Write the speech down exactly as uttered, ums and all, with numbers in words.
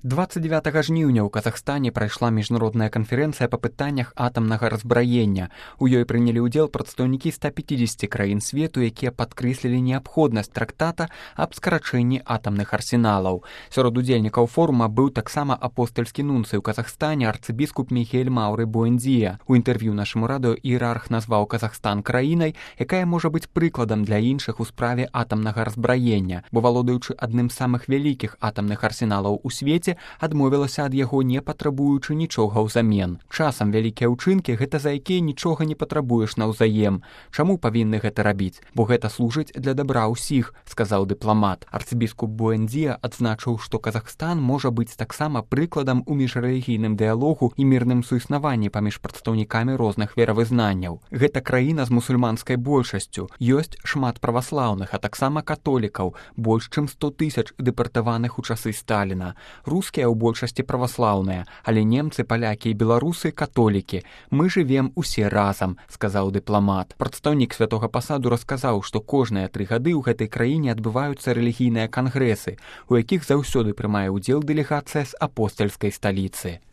двадцать девятага жніўня ў Казахстане прайшла міжнародная канферэнцыя па пытаннях атамнага разбраення. У ёй прынялі ўдзел прадстаўнікі ста пяцідзесяці краін свету, якія падкрэслілі неабходнасць трактата аб скарачэнні атамных арсеналаў. Сярод удзельнікаў форума быў таксама апостальскі нунцый у Казахстане арцыбіскуп Михель Мауры Буэндзія. У інтэрв'ю нашаму радыё іерарх назваў Казахстан краінай, якая можа быць прыкладам для іншых у справе атамнага разбраення, бо валодаючы адным з самых вялікіх атамных арсеналаў у свеце, адмовілася ад яго, не патрабуючы нічога ўзамен. Часам вялікія ўчынкі гэта за якія нічога не патрабуеш наўзаем. Чаму павінны гэта рабіць? Бо гэта служыць для дабра ўсіх, сказаў дыпламат. Арцыбіскуп Буэндзія адзначыў, што Казахстан можа быць таксама прыкладам у міжрэлігійным дыялогу і мірным суіснаванні паміж прадстаўнікамі розных веравызнанняў. Гэта краіна з мусульманскай большасцю. Ёсць шмат праваслаўных, а таксама католікаў, больш чым сто тысяч дэпартаваных у часы Сталіна. Рускія ў большасці праваслаўныя, але немцы, палякі і беларусы католікі. Мы жывем усе разам, сказаў дыпламат. Прадстаўнік святога пасаду расказаў, што кожныя тры гады ў гэтай краіне адбываюцца рэлігійныя кангрэсы, у якіх заўсёды прымае ўдзел дэлегацыя з апостальскай сталіцы.